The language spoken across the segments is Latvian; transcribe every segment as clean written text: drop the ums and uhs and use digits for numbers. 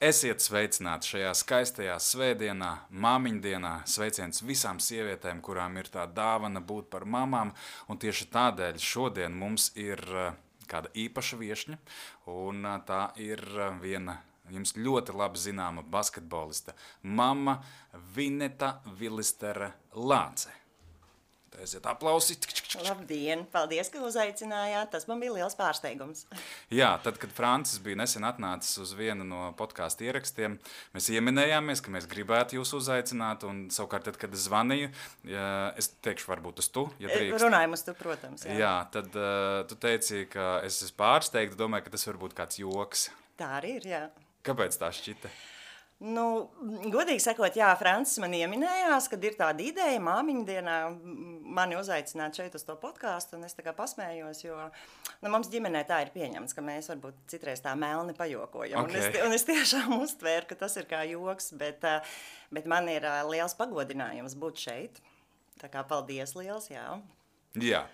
Esiet sveicināti šajā skaistajā svētdienā, māmiņdienā. Sveiciens visām sievietēm, kurām ir tā dāvana būt par mamām. Un tieši tādēļ šodien mums ir kāda īpaša viešņa. Un tā ir viena jums ļoti labi zināma basketbolista, mamma Vineta Vilistere Lāce. Aiziet aplausi. Labdien, paldies, ka uzaicinājāt. Tas man bija liels pārsteigums. Jā, tad, kad Francis bija nesen atnācis uz vienu no podkāstu ierakstiem, mēs ieminējāmies, ka mēs gribētu jūs uzaicināt, un savukārt, tad, kad es zvanīju, es teikšu, varbūt uz tu, ja drīkst. Runājam uz tu, protams. Jā, tad tu teici, ka es esmu pārsteigta, domāju, ka tas varbūt kāds joks. Tā arī ir, jā. Kāpēc tā šķita? Nu, godīgi sakot, jā, Francis man ieminējās, kad ir tāda ideja māmiņdienā mani uzaicināt šeit uz to podkāstu, un es tā kā pasmējos, jo mums ģimenē tā ir pieņemts, ka mēs varbūt citreiz tā melni pajokojam. Okay. Un es tiešām uztvēru, ka tas ir kā joks, bet man ir liels pagodinājums būt šeit. Tā kā paldies liels, jā. Jā.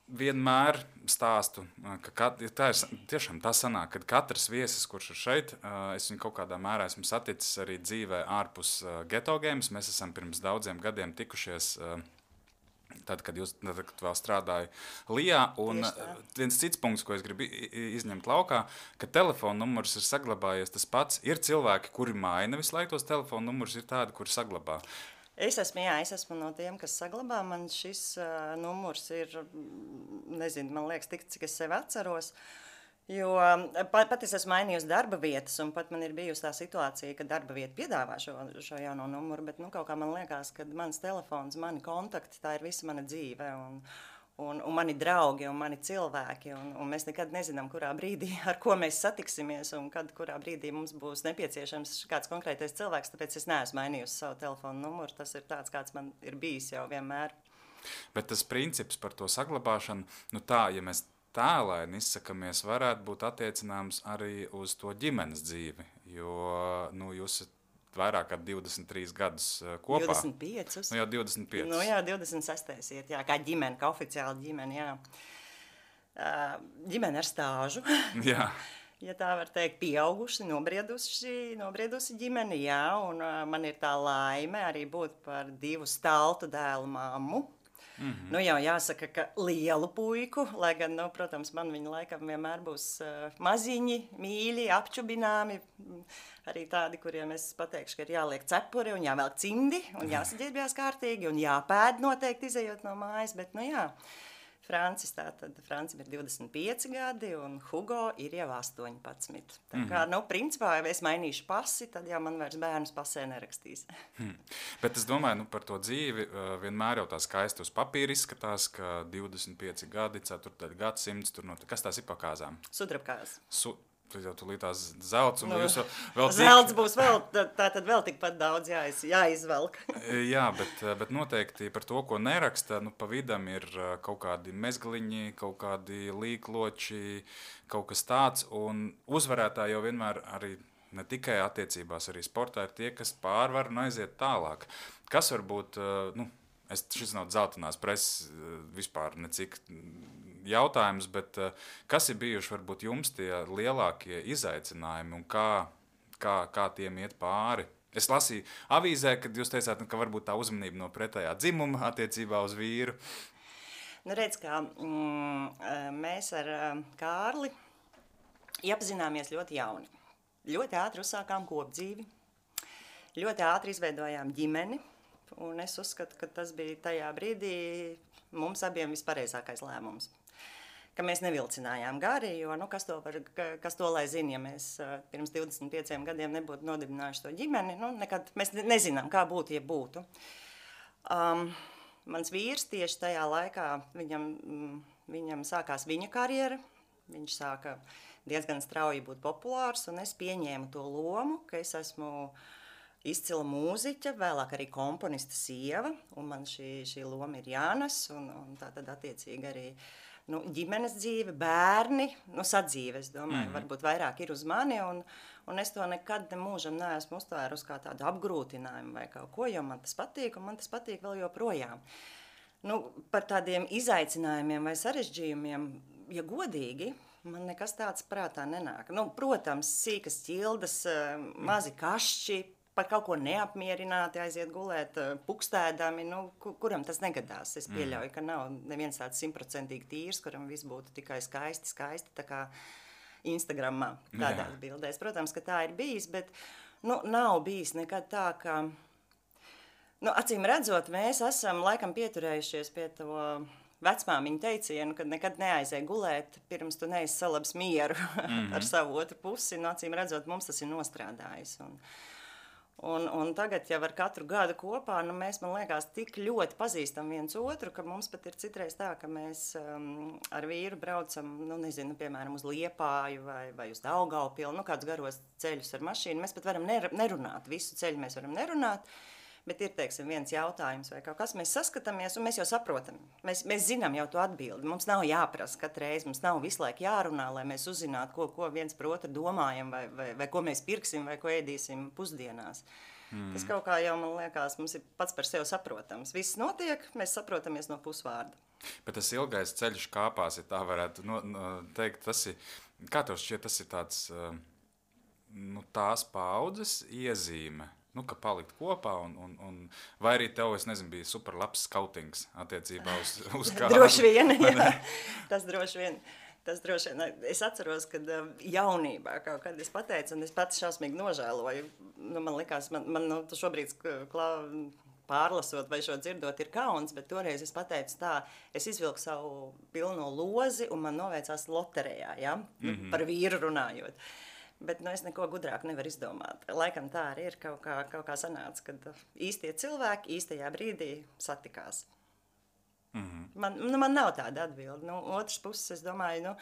Vienmēr stāstu, ka tā ir tiešām tā sanāk, kad katrs viesis, kurš ir šeit, es viņu kaut kādā mērā esmu saticis arī dzīvē ārpus Geto Games. Mēs esam pirms daudziem gadiem tikušies, tad, kad vēl strādāju Lijā. Un viens cits punkts, ko es gribu izņemt laukā, ka telefona numurs ir saglabājies tas pats. Ir cilvēki, kuri maina visu laiku tos telefona numurus, ir tādi, kuri saglabā. Es esmu no tiem, kas saglabā. Man šis numurs ir, nezinu, man liekas tik, cik es sevi atceros. Jo pat es esmu mainījusi darba vietas, un pat man ir bijusi tā situācija, ka darba vieta piedāvā šo jauno numuru, bet kaut kā man liekas, ka mans telefons, mani kontakti, tā ir visa mana dzīve. Un mani draugi un mani cilvēki, un mēs nekad nezinām, kurā brīdī, ar ko mēs satiksimies, un kurā brīdī mums būs nepieciešams kāds konkrētais cilvēks, tāpēc es neesmu mainījusi savu telefonu numuru, tas ir tāds, kāds man ir bijis jau vienmēr. Bet tas princips par to saglabāšanu, tā, ja mēs tēlaini izsakamies, varētu būt attiecināms arī uz to ģimenes dzīvi, jo, jūs esat vairāk kā 23 gadus kopā. 25. Nu jau 25. Nu jā, 26. iet, jā, kā ģimene, kā oficiāli ģimene, jā. Ģimene ar stāžu. Jā. Ja tā var teikt, pieauguši, nobriedusi ģimene, jā, un man ir tā laime arī būt par 2 staltu dēlu mammu. Mm-hmm. Nu jau jāsaka, ka lielu puiku, lai gan, protams, man viņi laikam vienmēr būs maziņi, mīļi, apčubināmi, arī tādi, kuriem es pateikšu, ka ir jāliek cepuri un jāvelk cimdi un jāsaģērbjās kārtīgi un jāpēd noteikti izejot no mājas, bet jā. Francim ir 25 gadi un Hugo ir jau 18. Tā kā, principā, ja es mainīšu pasi, tad jau man vairs bērnus pasē nerakstīs. Bet es domāju, par to dzīvi vienmēr jau tā skaisti uz papīra izskatās, ka 25 gadi, 4. gadsimts, kas tās ir pa kāzām? Sudrabkāzes. Tad jau tulīt tās zelts, un jūs vēl zelts būs vēl, tātad vēl tikpat daudz jāizvelk. Jā, bet noteikti par to, ko neraksta, pa vidam ir kaut kādi mezgliņi, kaut kādi līkloči, kaut kas tāds, un uzvarētāji jau vienmēr arī ne tikai attiecībās, arī sportā ir tie, kas pārvar un aiziet tālāk. Kas varbūt, šis nav dzeltenās preses vispār necik jautājums, bet kas ir bijuši varbūt jums tie lielākie izaicinājumi un kā tiem iet pāri? Es lasīju avīzē, kad jūs teicāt, ka varbūt tā uzmanība no pretējā dzimuma attiecībā uz vīru. Redz, kā mēs ar Kārli iepazināmies ļoti jauni. Ļoti ātri uzsākām kopdzīvi, ļoti ātri izveidojām ģimeni, un es uzskatu, ka tas bija tajā brīdī mums abiem vispareizākais lēmums. Ka mēs nevilcinājām gari, jo kas to lai zina, ja mēs pirms 25 gadiem nebūtu nodibinājuši to ģimeni, nekad mēs nezinām, kā būtu, ja būtu. Mans vīrs tieši tajā laikā, viņam sākās viņa karjera, viņš sāka diezgan strauji būt populārs, un es pieņēmu to lomu, ka es esmu izcila mūziķa, vēlāk arī komponista sieva, un man šī loma ir jānes, un tā tad attiecīgi arī ģimenes dzīve, bērni, sadzīve, es domāju, varbūt vairāk ir uz mani, un es to nekad mūžam neesmu uztvērusi kā tādu apgrūtinājumu vai kaut ko, jo man tas patīk, un man tas patīk vēl joprojām. Par tādiem izaicinājumiem vai sarežģījumiem, ja godīgi, Man nekas tāds prātā nenāk. Nu, protams, sīkas ķildas, mazi kašķi, par kaut ko neapmierināti aiziet gulēt, pukstēdami, nu, kuram tas negadās. Es pieļauju, ka nav neviens tāds 100% tīrs, kuram viss būtu tikai skaisti, tā kā Instagramā tādās bildēs. Protams, ka tā ir bijis, bet nu, nav bijis nekad tā, ka... Nu, acīm redzot, mēs esam laikam pieturējušies pie to vecmāmiņu teicienu, kad nekad neaizēj gulēt, pirms tu neesi salabs mieru ar savu otru pusi. Nu, acīm redzot, mums tas ir nostrādājis. Un tagad jau ar katru gadu kopā, nu, mēs, man liekas, tik ļoti pazīstam viens otru, ka mums pat ir citreiz tā, ka mēs ar vīru braucam, nu, nezinu, piemēram, uz Liepāju vai uz Daugavpili, nu, kādus garos ceļus ar mašīnu. Mēs pat varam nerunāt, visu ceļu mēs varam nerunāt, bet ir, teiksim, viens jautājums vai kaut kas, mēs saskatāmies un mēs jau saprotam. Mēs zinām jau to atbildi. Mums nav jāprasa katru reizi, mums nav visu laiku jārunā, lai mēs uzzinātu, ko viens par otru domājam vai ko mēs pirksim vai ko ēdīsim pusdienās. Tas kaut kā jau, man liekas, mums ir pats par sevi saprotams. Viss notiek, mēs saprotamies no pusvārda. Bet tas ilgais ceļš kāpās, ja tā varētu teikt, tas ir, kā tev šķiet, tas ir tāds, nu, tās paudzes iezīme. Nu, ka palikt kopā, vai arī tev, es nezinu, bija super labs skautings attiecībā uz kādu. Droši vien, jā. Tas droši vien. Es atceros, kad jaunībā kaut kad es pateicu, un es pats šausmīgi nožēloju. Nu, man likās, man šobrīd pārlasot vai šo dzirdot ir kauns, bet toreiz es pateicu tā, es izvilku savu pilno lozi, un man noveicās loterijā, ja? Par vīru runājot. Bet es neko gudrāk nevaru izdomāt. Laikam tā arī ir kaut kā sanāca, kad īstie cilvēki īstajā brīdī satikās. Man nav tāda atbilde. Otrs puses, es domāju,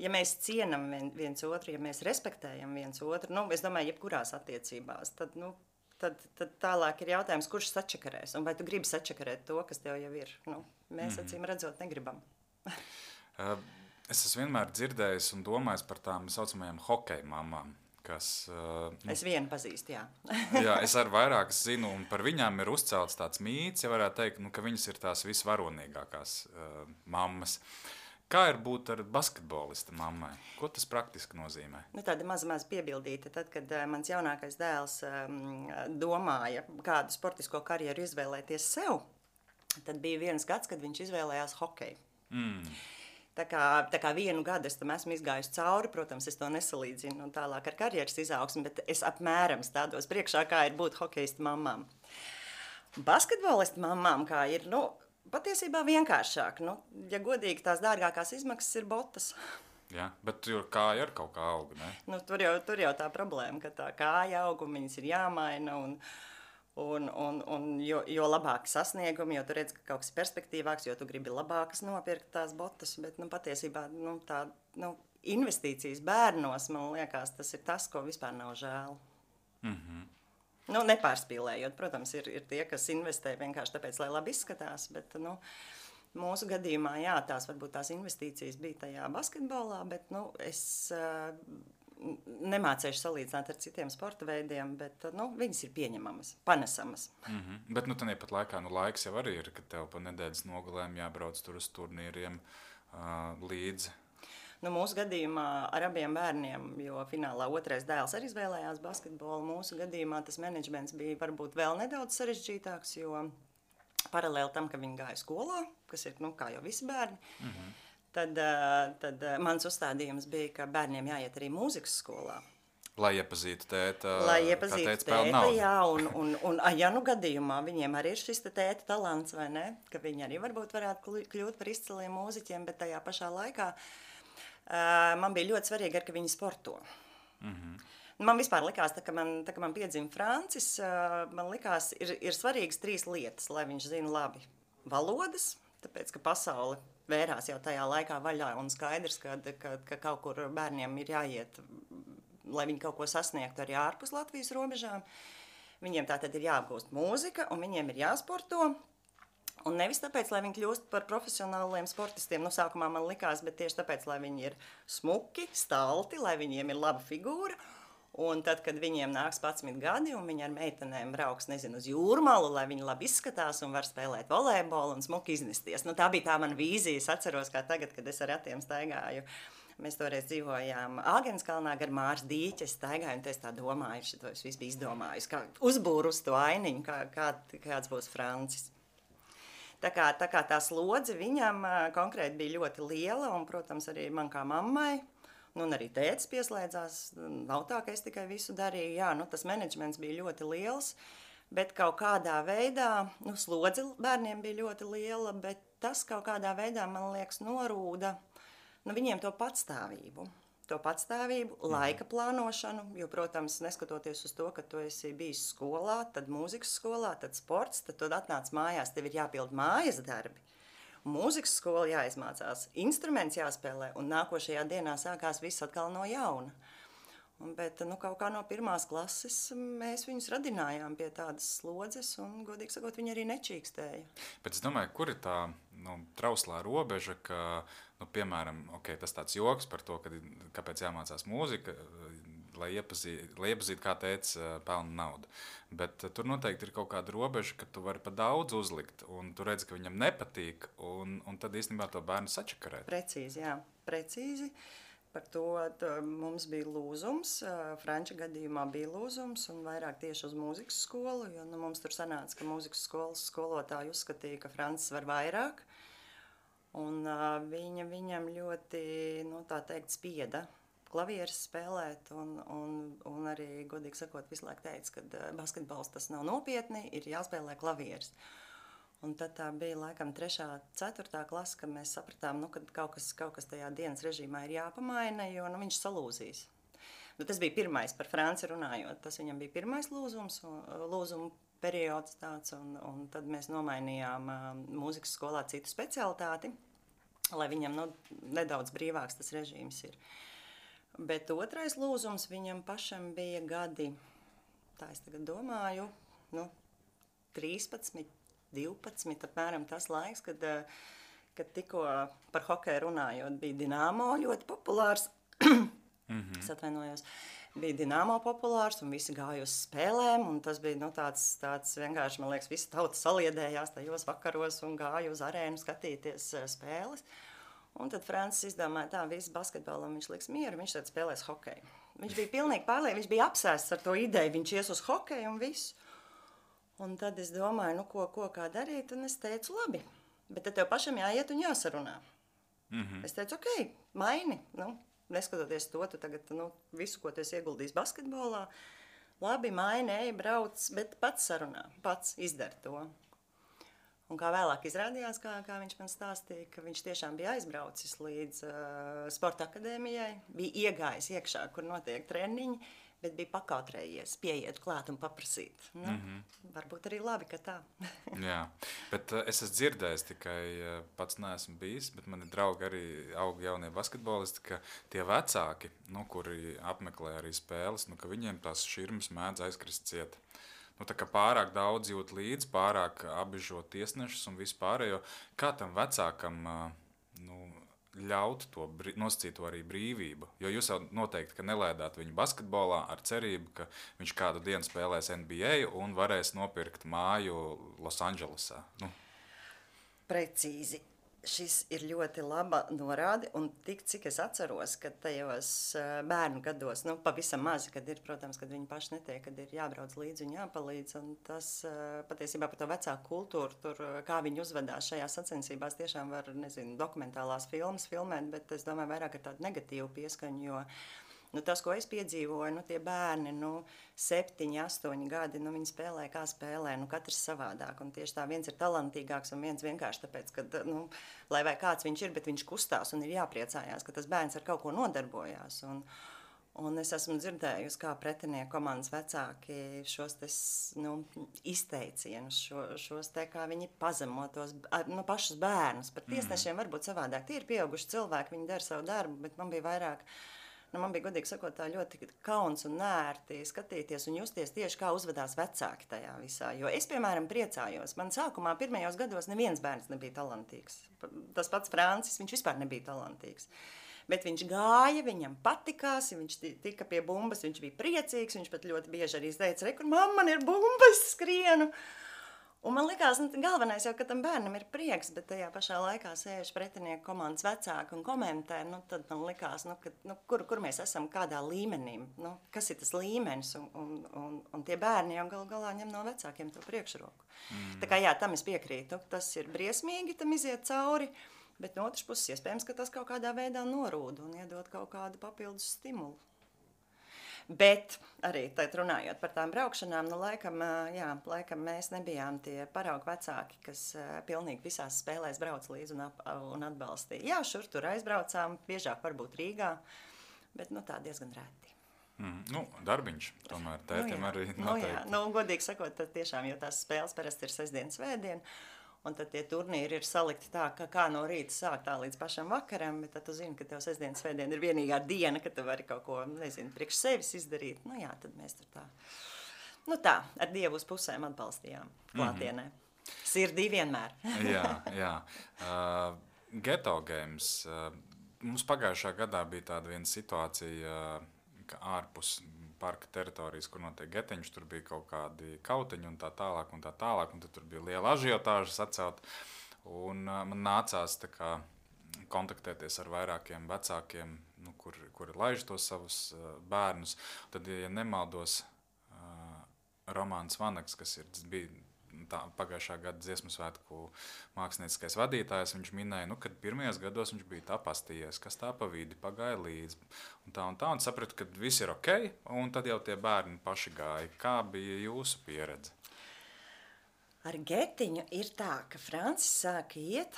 ja mēs cienam viens otru, ja mēs respektējam viens otru, es domāju, jebkurās attiecībās, tad tālāk ir jautājums, kurš sačakarēs, un vai tu gribi sačakarēt to, kas tev jau ir. Mēs acīm redzot negribam. Es esmu vienmēr dzirdējis un domājis par tām saucamajām hokeja mamām, kas... Es vienu pazīstu, jā. Jā, es ar vairākas zinu, un par viņām ir uzcelts tāds mīts, ja varētu teikt, ka viņas ir tās visvaronīgākās mammas. Kā ir būt ar basketbolista mammai? Ko tas praktiski nozīmē? Tāda maz piebildīta. Tad, kad mans jaunākais dēls domāja, kādu sportisko karjeru izvēlēties sev, tad bija viens gads, kad viņš izvēlējās hokeju. Tā kā vienu gadu es tam esmu izgājusi cauri, protams, es to nesalīdzinu un tālāk ar karjeras izaugsmi, bet es apmēram stādos priekšā, kā ir būt hokeista mammām. Basketbolista mammām, kā ir, patiesībā vienkāršāk. Ja godīgi, tās dārgākās izmaksas ir botas. Jā, bet tur kāja ar kaut kā auga, ne? Tur jau tā problēma, ka tā kāja auga, viņas ir jāmaina un jo labāki sasniegumi, jo tu redz, ka kaut kas perspektīvāks, jo tu gribi labākas nopirkt tās botas, bet patiesībā investīcijas bērnos, man liekas, tas ir tas, ko vispār nav žēl. Nepārspīlējot, protams, ir tie, kas investē vienkārši tāpēc, lai labi izskatās, bet mūsu gadījumā, jā, varbūt tās investīcijas bija tajā basketbolā, bet es nemācējuši salīdzināt ar citiem sporta veidiem, bet viņas ir pieņemamas, panesamas. Bet tāpat laikā laiks jau arī ir, ka tev pa nedēļas nogalēm jābrauc tur uz turnīriem līdzi. Mūsu gadījumā ar abiem bērniem, jo finālā otrais dēls arī izvēlējās basketbolu, mūsu gadījumā tas menedžments bija varbūt vēl nedaudz sarežģītāks, jo paralēli tam, ka viņi gāja skolā, kas ir, kā jau visi bērni, tad mans uzstādījums bija, ka bērniem jāiet arī mūzikas skolā. Lai iepazītu tēta, jā, un ja gadījumā viņiem arī ir šis tēta talants, vai ne, ka viņi arī varbūt varētu kļūt par izciliem mūziķiem, bet tajā pašā laikā man bija ļoti svarīgi, ka viņi sporto. Man vispār likās, tā kā man piedzima Francis, man likās, ir svarīgas 3 lietas, lai viņš zina labi valodas, tāpēc, ka pasaule vērās jau tajā laikā vaļā un skaidrs, ka kaut kur bērniem ir jāiet, lai viņi kaut ko sasniegtu arī ārpus Latvijas robežām. Viņiem tātad ir jāapgūst mūzika un viņiem ir jāsporto. Un nevis tāpēc, lai viņi kļūst par profesionāliem sportistiem, sākumā man likās, bet tieši tāpēc, lai viņi ir smuki, stalti, lai viņiem ir laba figūra. Un tad, kad viņiem nāks 11 gadi un viņi ar meitenēm brauks, nezinu, uz jūrmalu, lai viņi labi izskatās un var spēlēt volejbolu un smuki iznesties. Tā bija tā mana vīzija. Es atceros, kā tagad, kad es ar ratiem staigāju Mēs toreiz dzīvojām Āgenskalnā gar Māras dīķi, es staigāju, un es tā domāju, šito es visu biju izdomājusi, kā uzbūru uz to ainiņu, kāds būs Francis. Tā kā tā slodze viņam konkrēti bija ļoti liela, un, protams, arī man kā mammai, un arī tētis pieslēdzās, nav tā, ka es tikai visu darīju, jā, tas menedžments bija ļoti liels, bet kaut kādā veidā, slodze bērniem bija ļoti liela, bet tas kaut kādā veidā, man liekas, norūda viņiem to patstāvību, laika plānošanu, jo, protams, neskatoties uz to, ka tu esi bijis skolā, tad mūzikas skolā, tad sports, tad tu atnāc mājās, tev ir jāpild mājas darbi. Mūzikas skola jāizmācās, instruments jāspēlē, un nākošajā dienā sākās viss atkal no jauna. Bet kaut kā no 1. klases mēs viņus radinājām pie tādas slodzes, un, godīgi sakot, viņi arī nečīkstēja. Bet es domāju, kur ir tā trauslā robeža, ka, piemēram, tas tāds joks par to, kāpēc jāmācās mūzika, lai iepazītu, kā tētis pelna naudu. Bet tur noteikti ir kaut kāda robeža, ka tu vari pa daudz uzlikt, un tu redzi, ka viņam nepatīk, un tad īstenībā to bērnu sačakarēt. Precīzi, jā, precīzi. Par to mums bija lūzums, Franča gadījumā bija lūzums, un vairāk tieši uz mūzikas skolu, jo mums tur sanāca, ka mūzikas skolas skolotāji uzskatīja, ka Francis var vairāk, un viņam ļoti, tā teikt, spieda klavieres spēlēt, un arī, godīgi sakot, visu laiku teica, ka basketbols tas nav nopietni, ir jāspēlē klavieres. Un tad tā bija laikam 3., 4. klase, kad mēs sapratām, ka kaut kas tajā dienas režīmā ir jāpamaina, jo viņš salūzīs. Tas bija pirmais par Franci runājot, tas viņam bija pirmais lūzuma periods tāds, un tad mēs nomainījām mūzikas skolā citu specialitāti, lai viņam nedaudz brīvāks tas režīms ir. Bet otrais lūzums viņam pašam bija gadi, tā es tagad domāju, 13, 12, apmēram tas laiks, kad tikko par hokeju runājot, bija Dinamo ļoti populārs. Es atvainojos. Bija Dinamo populārs, un visi gāja uz spēlēm, un tas bija tāds vienkārši, man liekas, visi tauta saliedējās tajos vakaros un gāja uz arēnu skatīties spēles. Un tad Francis izdomāja tā, visu basketbolu, un viņš liks mieru, viņš tad spēlēs hokeju. Viņš bija pilnīgi pārliecināts, viņš bija apsēsts ar to ideju, viņš ies uz hokeju un visu. Un tad es domāju, kā darīt, un es teicu, labi, bet tad tev pašam jāiet un jāsarunā. Es teicu, maini, neskatoties to, tu tagad visu, ko tu esi ieguldījis basketbolā, labi, maini, ej, brauc, bet pats sarunā, pats izdara to. Un kā vēlāk izrādījās, kā viņš man stāstīja, ka viņš tiešām bija aizbraucis līdz sporta akadēmijai, bija iegājis iekšā, kur notiek treniņi, bet bija pakautrējies, pieiet klāt un paprasīt. Varbūt arī labi, ka tā. Jā, bet es esmu dzirdējis, tikai pats neesmu bijis, bet mani draugi arī aug jaunie basketbolisti, ka tie vecāki, kuri apmeklē arī spēles, ka viņiem tās širmas mēdz aizkrist ciet. Tā kā pārāk daudz jūt līdzi, pārāk apbižo tiesnešus un vispārējo, kā tam vecākam ļaut to nosacīt to arī brīvību? Jo jūs jau noteikti, ka nelēdāt viņu basketbolā ar cerību, ka viņš kādu dienu spēlēs NBA un varēs nopirkt māju Losandželosā. Precīzi. Šis ir ļoti laba norāde, un cik es atceros, ka tajos bērnu gados, pavisam mazi, kad ir, protams, kad viņi paši netiek, kad ir jābrauc līdzi un jāpalīdz, un tas patiesībā par to vecāku kultūru, tur, kā viņi uzvedās šajās sacensībās, tiešām var, dokumentālās filmas filmēt, bet es domāju vairāk ar tādu negatīvu pieskaņu, jo tas, ko es piedzīvoju, tie bērni, 7, 8 gadi, viņi spēlē, kā spēlē, katrs savādāk. Un tieši tā viens ir talantīgāks un viens vienkārši tāpēc, ka, lai vai kāds viņš ir, bet viņš kustās un ir jāpriecājās, ka tas bērns ar kaut ko nodarbojās. Un es esmu dzirdējusi, kā pretinieku komandas vecāki šos izteicienus, šos kā viņi pazemo tos pašus bērnus. Par tiesnešiem varbūt savādāk. Tie ir pieauguši cilvēki, viņi dara savu darbu, bet man bija vairāk... Man bija, godīgi sakot, tā ļoti kauns un nērti skatīties un justies tieši, kā uzvedās vecāki tajā visā. Jo es, piemēram, priecājos. Man sākumā pirmajos gados neviens bērns nebija talantīgs. Tas pats Francis, viņš vispār nebija talantīgs. Bet viņš gāja, viņam patikās, viņš tika pie bumbas, viņš bija priecīgs, viņš pat ļoti bieži arī teica, re, kur mamma, man ir bumba, es skrienu. Un man likās, galvenais jau, ka tam bērnam ir prieks, bet tajā pašā laikā sēž pretinieku komandas vecāki un komentē, tad man likās, kur mēs esam, kādā līmenī, kas ir tas līmenis, un tie bērni jau galu galā ņem no vecākiem to priekšroku. Tā kā jā, tam es piekrītu, tas ir briesmīgi, tam iziet cauri, bet no otras puses iespējams, ka tas kaut kādā veidā norūda un iedod kaut kādu papildus stimulu. Bet arī runājot par tām braukšanām, laikam mēs nebijām tie paraugu vecāki, kas pilnīgi visās spēlēs brauc līdzi un atbalstīja. Jā, šur tur aizbraucām, biežāk varbūt Rīgā, bet tā diezgan reti. Darbiņš tomēr tētim arī noteikti. Godīgi sakot, tad tiešām, jo tās spēles parasti ir sestdien, svētdien, un tad tie turnīri ir salikti tā, ka kā no rīta sāk tā līdz pašam vakaram, bet tad tu zini, ka tev sestdien, svētdien ir vienīgā diena, ka tu vari kaut ko, priekš sevis izdarīt. Tad mēs tur tā, ar Dievu uz pusēm atbalstījām klātienē. Sirdī vienmēr. Jā. Ghetto Games. Mums pagājušā gadā bija tāda viena situācija, ka ārpus parka teritorijas, kur notiek getiņš, tur bija kaut kādi kautiņi un tā tālāk, un tad tur bija liela ažiotāža sacelt, un man nācās kontaktēties ar vairākiem vecākiem, kuri laiž tos savus bērnus. Tad, ja nemaldos, Romāns Vanaks, kas bija pagājušā gada Dziesmu svētku mākslinieckais vadītājs, viņš minēja, kad pirmajos gados viņš bija tā pastījies, kas tā pa vidi pagāja līdzi. Un sapratu, ka viss ir ok, un tad jau tie bērni paši gāja. Kā bija jūsu pieredze? Ar getiņu ir tā, ka Francis sāka iet,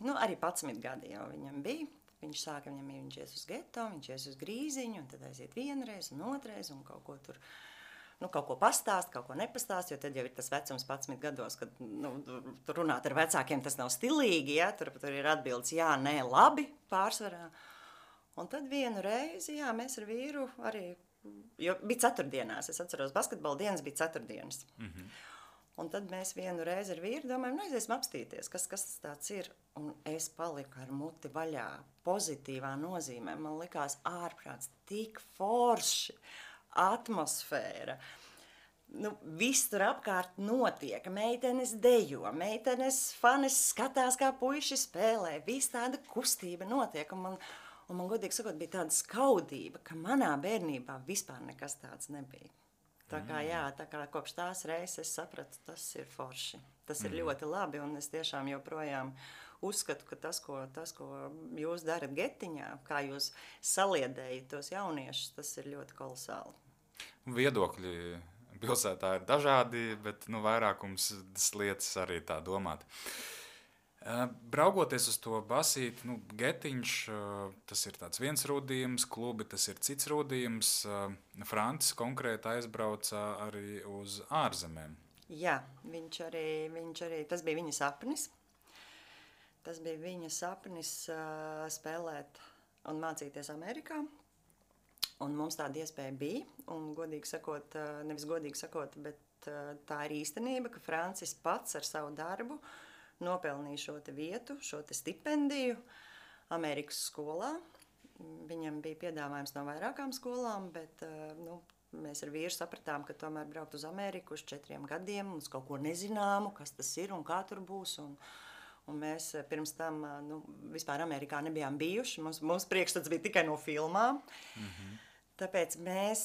arī 11 gadi jau viņam bija. Viņš sāka, viņš ies uz geto, viņš ies uz grīziņu, un tad aiziet vienreiz un otrais, un kaut ko tur... kaut ko pastāst, kaut ko nepastāst, jo tad jau ir tas vecums 11 gados, kad runāt ar vecākiem tas nav stilīgi, ja? Tur ir atbildes jā, nē, labi pārsvarā. Un tad vienu reizi, mēs ar vīru arī, jo bija ceturtdienās, es atceros, basketbola dienas bija ceturtdienas. Un tad mēs vienu reizi ar vīru domājam, aiziesim apstīties, kas tas tāds ir. Un es paliku ar muti vaļā, pozitīvā nozīmē, man likās ārprāts tik forši. Atmosfēra. Viss tur apkārt notiek. Meitenes dejo, meitenes fanes skatās, kā puiši spēlē. Viss tāda kustība notiek. Un man godīgi sakot, bija tāda skaudība, ka manā bērnībā vispār nekas tāds nebija. Tā kā kopš tās reizes es sapratu, tas ir forši. Tas ir ļoti labi, un es tiešām joprojām uzskatu, ka tas, ko jūs darat getiņā, kā jūs saliedējat tos jauniešus, tas ir ļoti kolosāli. Viedokļi pilsētā ir dažādi, bet vairākums lietas arī tā domāt. Braugoties uz to basīti, getiņš, tas ir tāds viens rūdījums, klubi tas ir cits rūdījums. Francis konkrēti aizbrauca arī uz ārzemēm. Jā, viņš arī, tas bija viņa sapnis. Tas bija viņa sapnis spēlēt un mācīties Amerikā. Un mums tāda iespēja bija. Un godīgi sakot, nevis godīgi sakot, bet tā ir īstenība, ka Francis pats ar savu darbu nopelnīja šo te vietu, šo te stipendiju Amerikas skolā. Viņam bija piedāvājums no vairākām skolām, bet mēs ar vīru sapratām, ka tomēr braukt uz Ameriku uz 4 gadiem, uz kaut ko nezināmu, kas tas ir un kā tur būs. Un mēs pirms tam vispār Amerikā nebijām bijuši. Mums priekšstats bija tikai no filmām. Tāpēc mēs,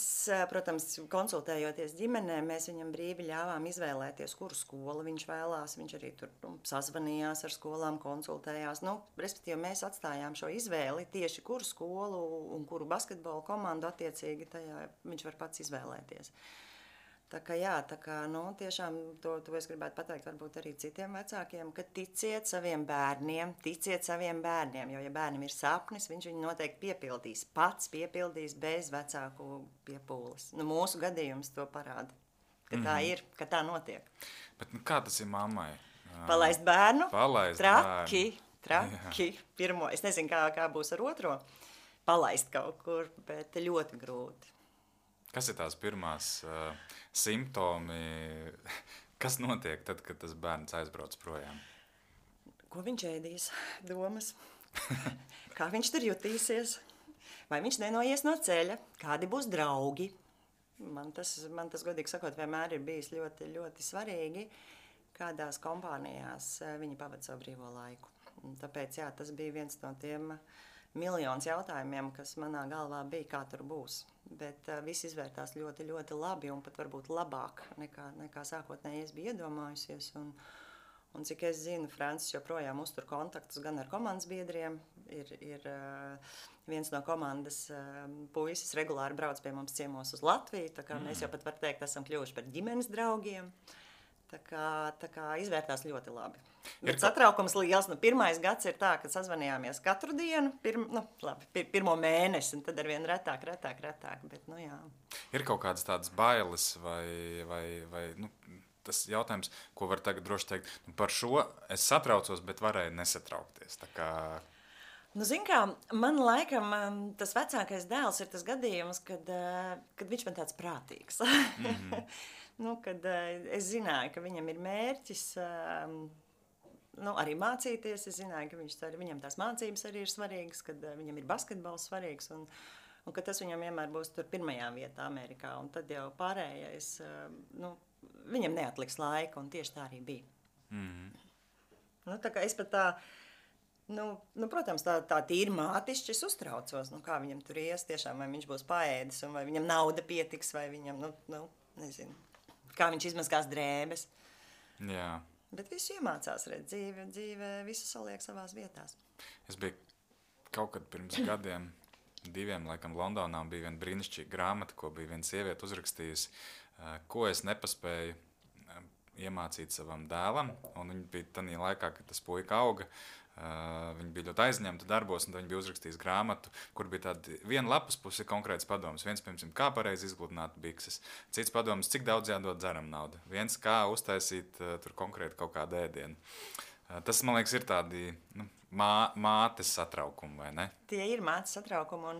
protams, konsultējoties ģimenē, mēs viņam brīvi ļāvām izvēlēties, kuru skolu viņš vēlās. Viņš arī tur sazvanījās ar skolām, konsultējās. Respektīvi, mēs atstājām šo izvēli tieši kuru skolu un kuru basketbola komandu attiecīgi tajā viņš var pats izvēlēties. Tā kā tiešām to es gribētu pateikt varbūt arī citiem vecākiem, ka ticiet saviem bērniem, jo ja bērnam ir sapnis, viņš viņu noteikti piepildīs, pats piepildīs bez vecāku piepūles. Mūsu gadījums to parāda, ka tā ir, ka tā notiek. Bet kā tas ir mammai? Palaist bērnu? Traki. Pirmo, es nezinu, kā būs ar otro, palaist kaut kur, bet ļoti grūti. Kas ir tās pirmās simptomi? Kas notiek tad, kad tas bērns aizbrauc projām? Ko viņš ēdīs? Domas. Kā viņš tur jutīsies? Vai viņš nenoies no ceļa? Kādi būs draugi? Man tas godīgi sakot, vienmēr ir bijis ļoti, ļoti svarīgi, kādās kompānijās viņi pavada savu brīvo laiku. Un tāpēc, jā, tas bija viens no tiem miljonus jautājumiem, kas manā galvā bija, kā tur būs. Bet viss izvērtās ļoti, ļoti labi un pat varbūt labāk nekā sākotnēji es biju iedomājusies. Un cik es zinu, Francis joprojām uztur kontaktus gan ar komandas biedriem. Ir viens no komandas puisis regulāri brauc pie mums ciemos uz Latviju. Tā kā mēs jau pat var teikt, esam kļuvuši par ģimenes draugiem. Tā kā izvērtās ļoti labi. Bet satraukums liels. Pirmais gads ir tā, ka sazvanījāmies katru dienu, pirmo mēnesi, un tad arvien retāk. Bet, jā. Ir kaut kādas tādas bailes vai tas jautājums, ko var tagad droši teikt, par šo es satraucos, bet varēju nesatraukties. Tā kā... Zin kā, man laikam tas vecākais dēls ir tas gadījums, kad viņš man tāds prātīgs. Kad es zināju, ka viņam ir mērķis arī mācīties. Es zināju, ka viņam tās mācības arī ir svarīgas, kad viņam ir basketbols svarīgs un ka tas viņam vienmēr būs tur pirmajā vietā Amerikā. Un tad jau pārējais, viņam neatliks laika, un tieši tā arī bija. Tā kā es pat tā, protams, tā tīri mātišķi es uztraucos, kā viņam tur ies, tiešām, vai viņš būs paēdis, un vai viņam nauda pietiks, vai viņam, nezinu, kā viņš izmazgās drēbes. Jā. Bet visu iemācās, dzīve visu saliek savās vietās. Es biju kaut kad pirms gadiem, 2, laikam, Londonā, bija viena brīnišķīga grāmata, ko bija viena sieviete uzrakstījusi, ko es nepaspēju iemācīt savam dēlam, un viņa bija tādā laikā, kad tas puika auga, viņa bija ļoti aizņemta darbos, un viņa bija uzrakstījusi grāmatu, kur bija tāda viena lapas puse konkrēts padoms. Viens, piemēram, kā pareizi izgludināt bikses, cits padoms, cik daudz jādod dzeram naudu, viens, kā uztaisīt tur konkrēti kaut kādu ēdienu. Tas, man liekas, ir tādi mātes satraukumi, vai ne? Tie ir mātes satraukumi,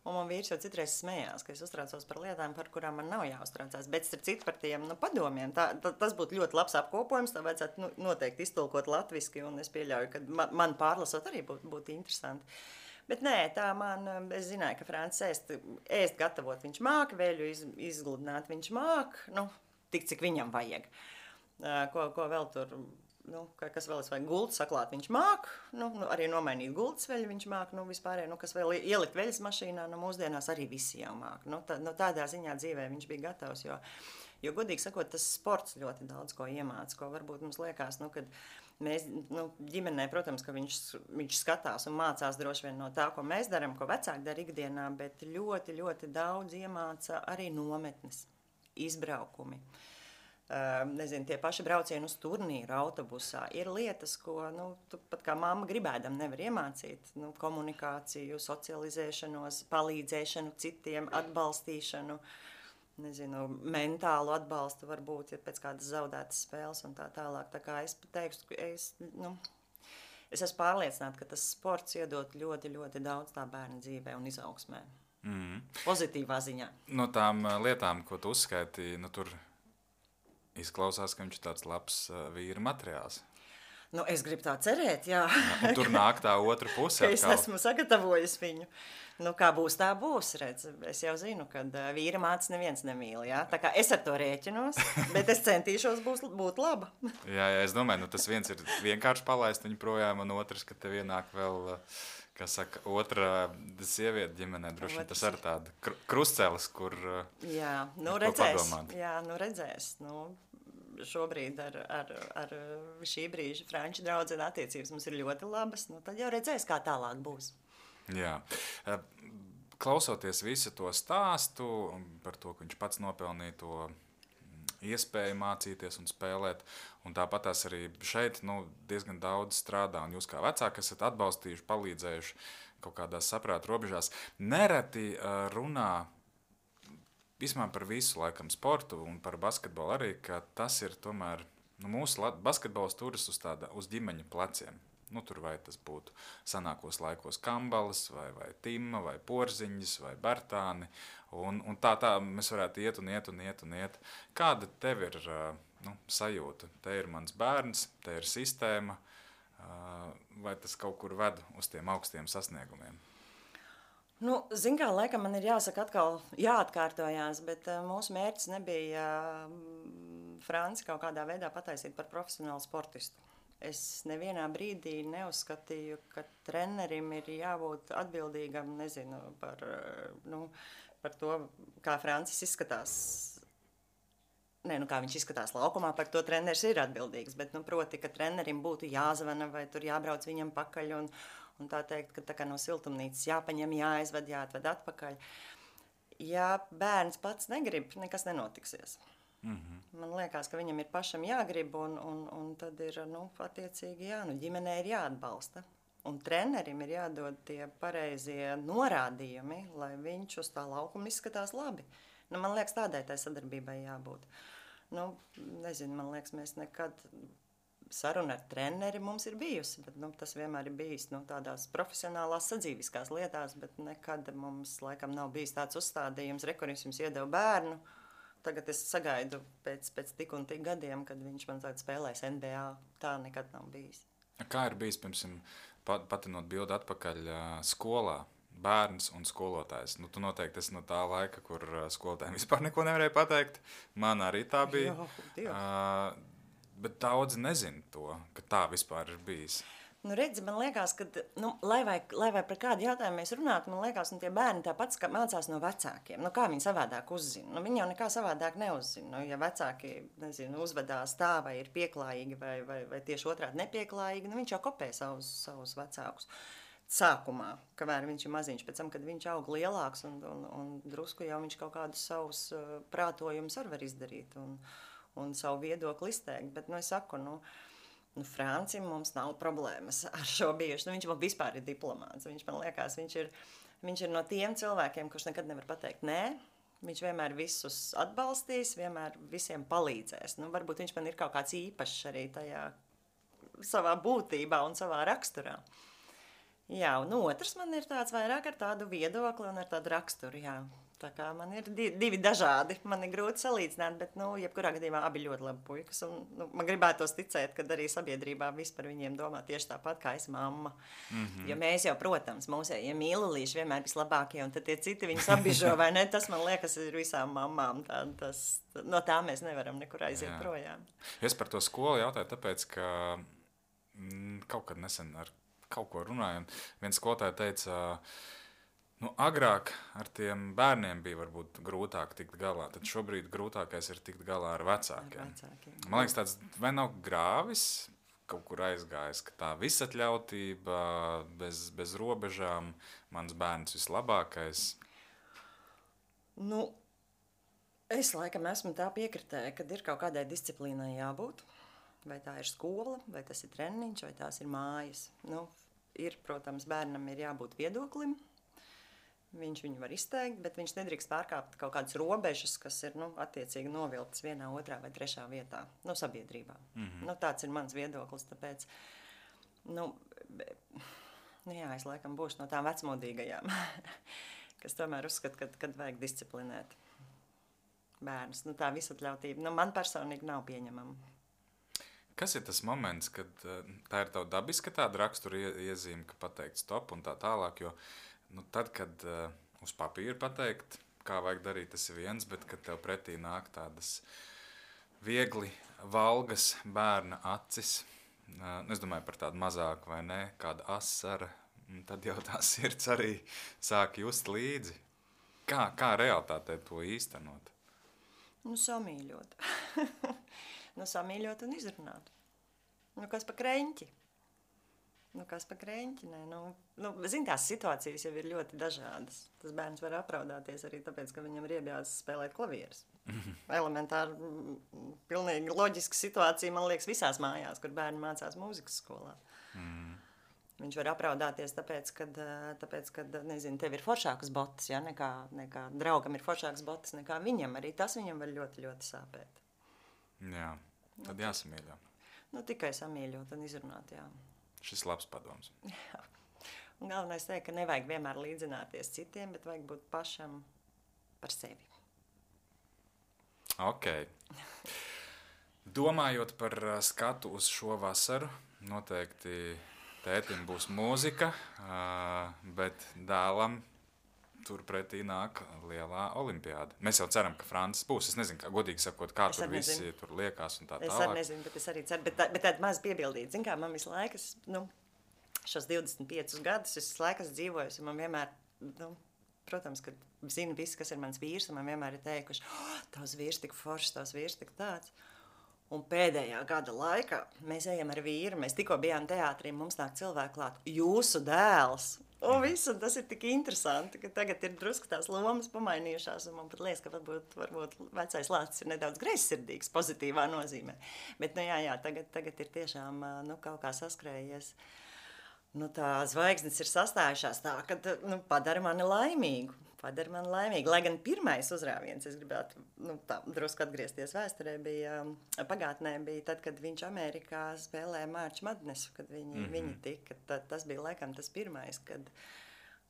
un man vīrs jau citreiz smējās, ka es uztraucos par lietām, par kurām man nav jāuztraucās. Bet starp citu par tiem padomiem, tas būtu ļoti labs apkopojums, tā vajadzētu noteikti iztulkot latviski, un es pieļauju, ka man pārlasot arī būtu interesanti. Bet nē, es zināju, ka Francis ēst gatavot viņš māk, vēļu izgludināt viņš māk, tik cik viņam vajag. Ko vēl tur... kas vēl es vajag gultu saklāt, viņš māk, arī nomainīt gultas veļu viņš māk, vispārēj, kas vēl ielikt veļas mašīnā, mūsdienās arī visi jau māk. Tādā ziņā dzīvē viņš bija gatavs, jo godīgi sakot, tas sports ļoti daudz ko iemāca, ko varbūt mums liekas, kad mēs, ģimenē, protams, ka viņš skatās un mācās droši vien no tā, ko mēs darām, ko vecāki dara ikdienā, bet ļoti, ļoti daudz iemāca arī nometnes, izbraukumi. Nezinu, tie paši braucieni uz turnīru autobusā ir lietas, ko, tu pat kā mamma gribēdam nevar iemācīt. Komunikāciju, socializēšanos, palīdzēšanu citiem, atbalstīšanu, nezinu, mentālu atbalstu varbūt, ja pēc kādas zaudētas spēles un tā tālāk. Tā kā es teikšu, es esmu pārliecināta, ka tas sports iedot ļoti, ļoti daudz tā bērna dzīvē un izaugsmē. Pozitīvā ziņā. No tām lietām, ko tu uzskaitīji, tur izklausās, ka viņš ir tāds labs vīra materiāls. Es gribu tā cerēt, jā. Un tur nāk tā otra puse. Es esmu sagatavojis viņu. Kā būs, tā būs, redz. Es jau zinu, ka vīra mātes neviens nemīl, jā. Tā kā es ar to rēķinos, bet es centīšos būt laba. Jā, es domāju, tas viens ir vienkārši palaist viņu projām, un otrs, ka tev ienāk vēl... Kā saka, otra sieviete ģimenē, droši vien tas ir tāda krustcelis, kur redzēs. Šobrīd ar šī brīža franču draudzene attiecības mums ir ļoti labas, tad jau redzēs, kā tālāk būs. Jā. Klausoties visu to stāstu par to, ka viņš pats nopelnīja to iespēju mācīties un spēlēt, un tāpat tās arī šeit diezgan daudz strādā, un jūs kā vecāki esat atbalstījuši, palīdzējuši kaut kādās saprāta robežās. Nereti runā vismaz par visu laikam sportu un par basketbolu arī, ka tas ir tomēr, mūsu basketbols turas uz ģimeņu pleciem. Tur vai tas būtu sanākos laikos Kambalas, vai Tima, vai Porziņas, vai Bartāni. Un tā mēs varētu iet. Kāda tev ir sajūta? Te ir mans bērns, te ir sistēma, vai tas kaut kur ved uz tiem augstiem sasniegumiem? Zin kā, laikam man ir jāsaka atkal jāatkārtojās, bet mūsu mērķis nebija Franci kaut kādā veidā pataisīt par profesionālu sportistu. Es nevienā brīdī neuzskatīju, ka trenerim ir jābūt atbildīgam, nezinu, par to, kā Francis izskatās. Kā viņš izskatās laukumā, par to treneris ir atbildīgs, bet, proti, ka trenerim būtu jāzvana vai tur jābrauc viņam pakaļ un tā teikt, ka tā kā no siltumnīcas jāpaņem, jāizved, jāatved atpakaļ. Ja bērns pats negrib, nekas nenotiksies. Man liekas, ka viņam ir pašam jāgrib, un tad ir, attiecīgi, ģimenē ir jāatbalsta. Un trenerim ir jādod tie pareizie norādījumi, lai viņš uz tā laukuma izskatās labi. Man liekas, tādai tai sadarbībai jābūt. Nezinu, man liekas, mēs nekad saruna ar treneri mums ir bijusi, bet tas vienmēr ir bijis tādās profesionālās sadzīviskās lietās, bet nekad mums laikam nav bijis tāds uzstādījums, kurš jums iedeva bērnu. Tagad es sagaidu pēc tik un tik gadiem, kad viņš man tagad spēlēs NBA. Tā nekad nav bijis. Kā ir bijis, piemēram, patinot bildi atpakaļ skolā? Bērns un skolotājs. Tu noteikti esi no tā laika, kur skolotājiem vispār neko nevarēja pateikt. Man arī tā bija. Bet daudzi nezin to, ka tā vispār ir bijis. Redzi, man liekas, ka, lai vai par kādu jautājumu mēs runātu, man liekas, tie bērni tāpat mācās no vecākiem. Kā viņi savādāk uzzina? Viņi jau nekā savādāk neuzzina. Ja vecāki, uzvedās tā, vai ir pieklājīgi, vai tieši otrādi nepieklājīgi, viņš jau kopē savus vecākus. Sākumā, kamēr viņš ir maziņš, pēc tam, kad viņš aug lielāks un drusku jau viņš kaut kādus savus prātojumus var izdarīt un savu viedokli izteikt. Bet, es saku, Francim mums nav problēmas ar šo bijuši. Viņš man vispār ir diplomāts. Viņš man liekas, viņš ir no tiem cilvēkiem, kurš nekad nevar pateikt nē. Viņš vienmēr visus atbalstīs, vienmēr visiem palīdzēs. Varbūt viņš man ir kaut kāds īpašs arī tajā savā būtībā un savā raksturā. Jā, un otrs man ir tāds vairāk ar tādu viedokli un ar tādu raksturu, jā. Tā kā man ir divi dažādi, man ir grūti salīdzināt, bet, jebkurā gadījumā abi ļoti labi puikas. Man gribētos ticēt, ka arī sabiedrībā viss par viņiem domā tieši tāpat, kā es mamma. Jo mēs jau, protams, mūsējie mīlulīši vienmēr vislabākie, un tad tie citi viņus apbižo, vai ne? Tas, man liekas, ir visām mammām. No tā mēs nevaram nekur aiziet projām. Es par to skolu jautāju, tāpēc, ka kaut kad nesen ar kaut ko runāju, un viens skolotāja teica, agrāk ar tiem bērniem bija varbūt grūtāk tikt galā, tad šobrīd grūtākais ir tikt galā ar vecākiem. Man liekas, tāds vai nav grāvis kaut kur aizgājis, ka tā visatļautība, bez robežām, mans bērns vislabākais. Es laikam esmu tā piekritēja, kad ir kaut kādai disciplīnai jābūt. Vai tā ir skola, vai tas ir treniņš, vai tās ir mājas. Protams, bērnam ir jābūt viedoklim. Viņš viņu var izteikt, bet viņš nedrīkst pārkāpt kaut kādas robežas, kas ir attiecīgi novilktas vienā, otrā vai trešā vietā, sabiedrībā. Tāds ir mans viedoklis, tāpēc, es laikam būšu no tām vecmodīgajām, kas tomēr uzskata, kad vajag disciplinēt bērnus. Tā visatļautība, man personīgi nav pieņemama. Kas ir tas moments, kad tā ir tava dabiska tāda rakstura iezīme, ka pateikt stop un tā tālāk, jo tad, kad uz papīra pateikt, kā vajag darīt, tas ir viens, bet kad tev pretī nāk tādas viegli valgas bērna acis, es domāju par tādu mazāku vai ne, kāda asara, tad jau tā sirds arī sāk just līdzi. Kā realitātē to īstenot? Samīļot. Samīļot un izrunāt. Kas pa kreņķi? Kas pa kreņķi? Zini, tās situācijas jau ir ļoti dažādas. Tas bērns var apraudāties arī tāpēc, ka viņam ir iebjās spēlēt klavierus. Elementāri, pilnīgi loģiska situācija, man liekas, visās mājās, kur bērni mācās mūzikas skolā. Viņš var apraudāties tāpēc, kad nezinu, tev ir foršākas botas, ja? nekā draugam ir foršākas botas nekā viņam. Arī tas viņam var ļoti, ļoti sāpēt. Jā, tad jāsamīļo. Tikai samīļot un izrunāt, jā. Šis labs padoms. Jā. Un galvenais teikt, ka nevajag vienmēr līdzināties citiem, bet vajag būt pašam par sevi. Ok. Domājot par skatu uz šo vasaru, noteikti tētim būs mūzika, bet dēlam turpretī nāk lielā olimpiāda. Mēs jau ceram, ka Francis būs. Es nezinu, kā godīgi sakot, kā tur visi tur liekās un tā tālāk. Es arī nezinu, bet es arī ceru. Bet tāda maz piebildīt. Zin kā, man visu laiku, šos 25 gadus, es visu laiku esmu dzīvojusi, un man vienmēr, protams, kad zinu visi, kas ir mans vīrs, un man vienmēr ir teikuši, tavs vīrs tik foršs, tavs vīrs tik tāds. Un pēdējā gada laikā mēs ejam ar vīru, mēs tikko bijām teātrī, mums nāk cilvēki klāt, jūsu dēls. Un visu, tas ir tik interesanti, ka tagad ir drusku tās lomas pamainījušās, un man pat liekas, ka varbūt vecais lācis ir nedaudz greizsirdīgs, pozitīvā nozīmē. Bet, tagad ir tiešām, kaut kā saskrējies. Tā zvaigznes ir sastājušās tā, ka, padara mani laimīgu. Lai gan pirmais uzrāviens, es gribētu drusku atgriezties vēsturē, pagātnē bija tad, kad viņš Amerikā spēlēja March Madnessu, kad viņi tika. Tas bija laikam tas pirmais, kad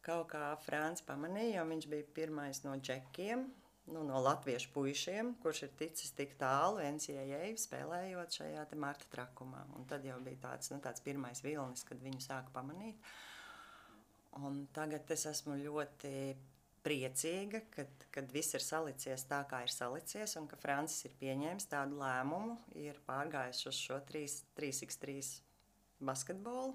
kaut kā Frants pamanīja, jo viņš bija pirmais no džekiem, no latviešu puišiem, kurš ir ticis tik tālu NCAA spēlējot šajā te Marta trakumā. Un tad jau bija tāds pirmais vilnis, kad viņu sāka pamanīt. Un tagad es esmu ļoti priecīga, kad viss ir salicies tā, kā ir salicies, un ka Francis ir pieņēmis tādu lēmumu, ir pārgājis uz šo 3x3 basketbolu.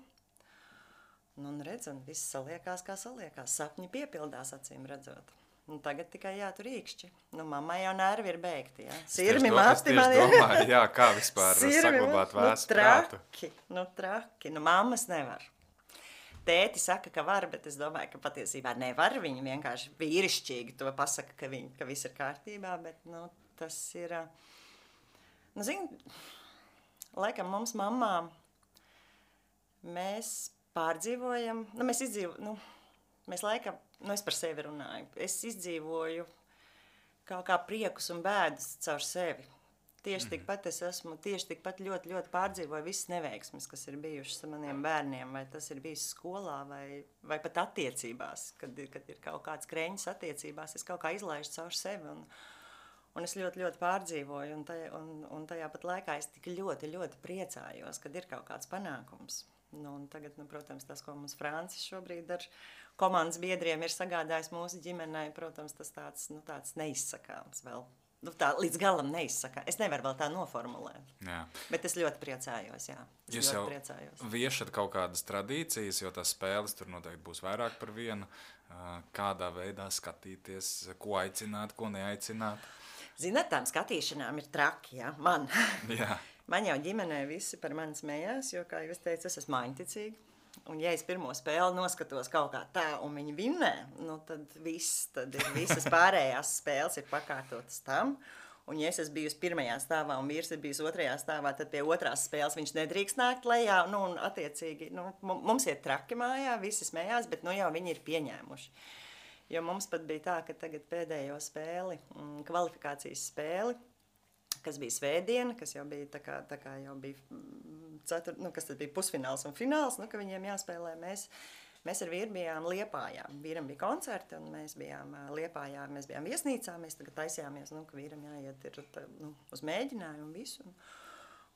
Un redz, un viss saliekās, kā saliekās. Sapņi piepildās, acīm redzot. Un tagad tikai jātur īkšķi. Mammai jau nervi ir beigti, jā. Sirmi mati man ir. Domāju, jā, kā vispār saglabāt vēstu prātu. Traki. Mammas nevar. Tēti saka, ka var, bet es domāju, ka patiesībā nevar. Viņi vienkārši vīrišķīgi to pasaka, ka viss ir kārtībā, bet, tas ir... laikam mums mammām mēs pārdzīvojam, mēs laikam, es par sevi runāju, es izdzīvoju kaut kā priekus un bēdas caur sevi. Tieši tikpat ļoti, ļoti pārdzīvoju visas neveiksmes, kas ir bijušas ar maniem bērniem, vai tas ir bijis skolā, vai pat attiecībās, kad ir kaut kāds kreņas attiecībās, es kaut kā izlaižu caur sevi, un es ļoti, ļoti pārdzīvoju, un tajā pat laikā es tik ļoti, ļoti priecājos, kad ir kaut kāds panākums. Un tagad, protams, tas, ko mums Francis šobrīd ar komandas biedriem ir sagādājis mūsu ģimenei, protams, tas tāds neizsakāms vēl. Tā līdz galam neizsaka. Es nevaru vēl tā noformulēt. Jā. Bet es ļoti priecājos, jā. Jūs jau viešat kaut kādas tradīcijas, jo tās spēles tur noteikti būs vairāk par vienu. Kādā veidā skatīties, ko aicināt, ko neaicināt? Zināt, tām skatīšanām ir traki, jā, man. Jā. Man jau ģimenē visi par mani smējās, jo, kā jūs teicat, es esmu maiņticīga. Un ja es pirmo spēli noskatos kaut kā tā, un viņi vinnē, tad visas pārējās spēles ir pakārtotas tam. Un ja es esmu bijusi pirmajā stāvā un vīrs ir bijis otrajā stāvā, tad pie otrās spēles viņš nedrīkst nākt lejā. Un attiecīgi, mums ir traki mājā, visi smējās, bet jau viņi ir pieņēmuši. Jo mums pat bija tā, ka tagad pēdējo spēli, kvalifikācijas spēli, kas bija svētdiena, kas jau bija tā kā jau bija kas tad bija pusfināls un fināls, ka viņiem jāspēlē. Mēs ar vīru bijām Liepājā. Vīram bija koncerti, un mēs bijām Liepājā, mēs bijām viesnīcā, mēs tagad taisījāmies, ka vīram jāiet uz mēģinājumu un visu.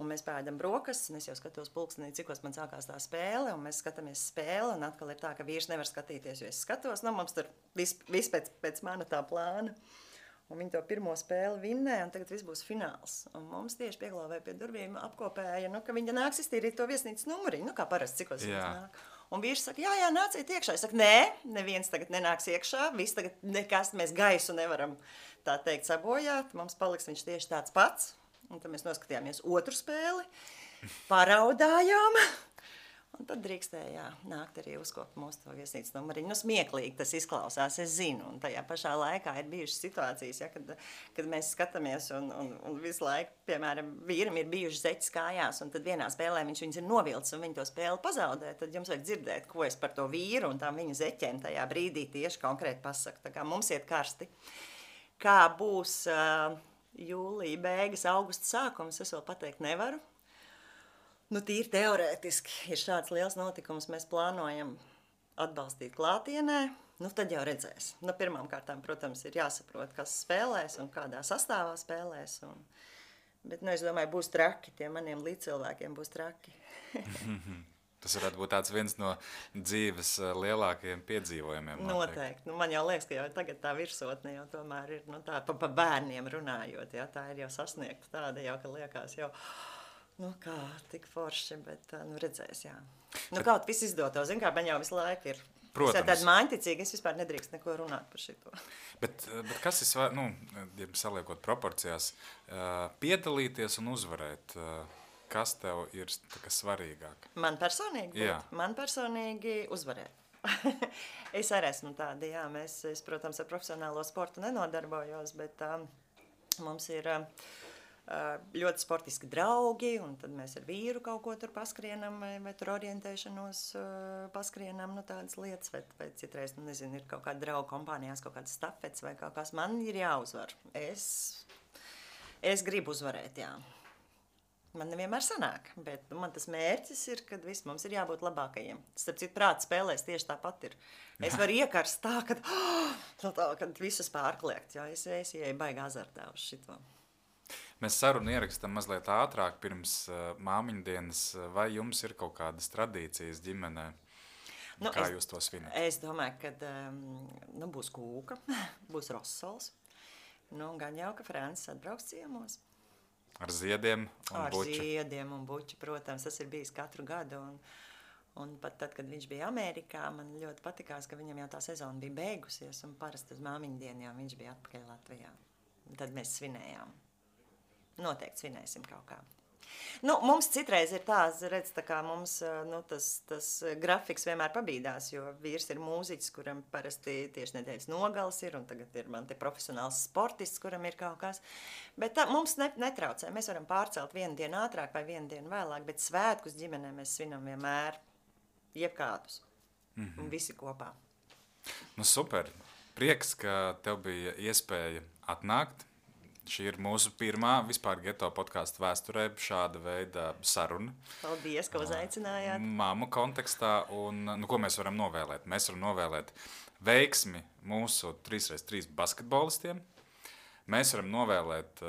Un mēs pēdam brokastis, un es jau skatos pulkstenī, cikos man sākās tā spēle, un mēs skatāmies spēli, un atkal ir tā, ka vīrs nevar skatīties, jo es skatos, mums tur viss pēc mana tā plāna. Un viņi to pirmo spēli vinnē, un tagad viss būs fināls. Un mums tieši pieglāvēja pie durvīm apkopēja, ka viņa nāks iztīrīt to viesnīcas numuriņu, kā parasti, cikos viņas nāk. Un vīrs saka, jā, nāciet iekšā. Es saku, nē, neviens tagad nenāks iekšā, viss tagad nekas, mēs gaisu nevaram, tā teikt, sabojāt. Mums paliks viņš tieši tāds pats. Un tad mēs noskatījāmies otru spēli, paraudājām. Un tad drīkstēja nākt arī uzkopt mūsu to viesnīcas numuriņu. Smieklīgi tas izklausās, es zinu. Un tajā pašā laikā ir bijušas situācijas, kad mēs skatāmies un visu laiku, piemēram, vīram ir bijuši zeķis kājās, un tad vienā spēlē viņas ir novilcis un viņi to spēli pazaudē. Tad jums vajag dzirdēt, ko es par to vīru un tām viņu zeķiem tajā brīdī tieši konkrēti pasaku. Tā kā mums iet karsti. Kā būs jūlija beigas, augusta sākums, es vēl pateikt nevaru. Tīri teorētiski ir šāds liels notikums, mēs plānojam atbalstīt klātienē, tad jau redzēs. Pirmām kārtām, protams, ir jāsaprot, kas spēlēs un kādā sastāvā spēlēs. Bet, es domāju, būs traki, tiem maniem līdzcilvēkiem būs traki. Tas varētu būt tāds viens no dzīves lielākajiem piedzīvojumiem. Noteikti. Nu, man jau liekas, ka jau tagad tā virsotne jau tomēr ir tā pa bērniem runājot. Ja? Tā ir jau sasniegta tāda jau, ka liekas jau, nu kā, tik forši, bet redzēs, jā. Nu kaut viss izdoto, zin kā, man jau visu laiku ir. Protams. Es tāda māņticīga, es vispār nedrīkst neko runāt par šito. Bet kas ir, ja saliekot proporcijās, piedalīties un uzvarēt, kas tev ir svarīgāk? Man personīgi? Jā. Man personīgi uzvarēt. Es arī esmu tāda, jā, es, protams, ar profesionālo sportu nenodarbojos, bet mums ir ļoti sportiski draugi, un tad mēs ar vīru kaut ko tur paskrienam, vai tur orientēšanos paskrienam, nu tādas lietas, vai citreiz, nu nezinu, ir kaut kāda draugu kompānijās, kaut kāds stafets vai kaut kas, man ir jāuzvar. Es gribu uzvarēt, jā. Man nevienmēr sanāk, bet man tas mērķis ir, kad viss mums ir jābūt labākajiem. Starp citu, prāta spēlēs tieši tāpat ir. Es varu iekarst tā, kad visus pārkliegt, jo es ieeju baigā azartā uz šito. Mēs sarunu ierakstam mazliet ātrāk pirms māmiņu dienas. Vai jums ir kaut kādas tradīcijas ģimenē? Nu, kā jūs to svinat? Es domāju, ka būs kūka, būs rosols. Nu, gan jau, ka Francis atbrauks ciemos. Ar ziediem un buķu? Ar ziediem un buķu, protams. Tas ir bijis katru gadu. Un pat tad, kad viņš bija Amerikā, man ļoti patikās, ka viņam jau tā sezona bija beigusies. Un parasti uz māmiņu dienu jau viņš bija atpakaļ Latvijā. Un tad mēs svinējām. Noteikti svinēsim kaut kā. Nu, mums citreiz ir redz, tā kā mums tas grafiks vienmēr pabīdās, jo vīrs ir mūziķis, kuram parasti tieši nedēļas nogals ir, un tagad ir man te profesionāls sportists, kuram ir kaut kas. Bet tā mums netraucē. Mēs varam pārcelt vienu dienu ātrāk vai vienu dienu vēlāk, bet svētkus ģimenē mēs svinam vienmēr jebkādus. Un visi kopā. Nu, super. Prieks, ka tev bija iespēja atnākt. Šī ir mūsu pirmā vispār Geto podkāstu vēsturē šāda veida saruna. Paldies, ka uzaicinājāt. Māmu kontekstā, un ko mēs varam novēlēt? Mēs varam novēlēt veiksmi mūsu 3x3 basketbolistiem. Mēs varam novēlēt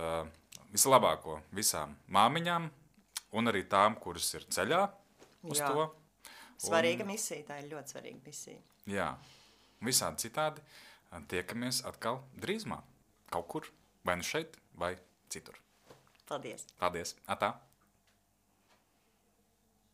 vislabāko visām māmiņām, un arī tām, kuras ir ceļā uz to. Svarīga misija, tā ir ļoti svarīga misija. Jā, visādi citādi tiekamies atkal drīzumā, kaut kur. Vai nu šeit, vai citur. Paldies. Paldies. Atā.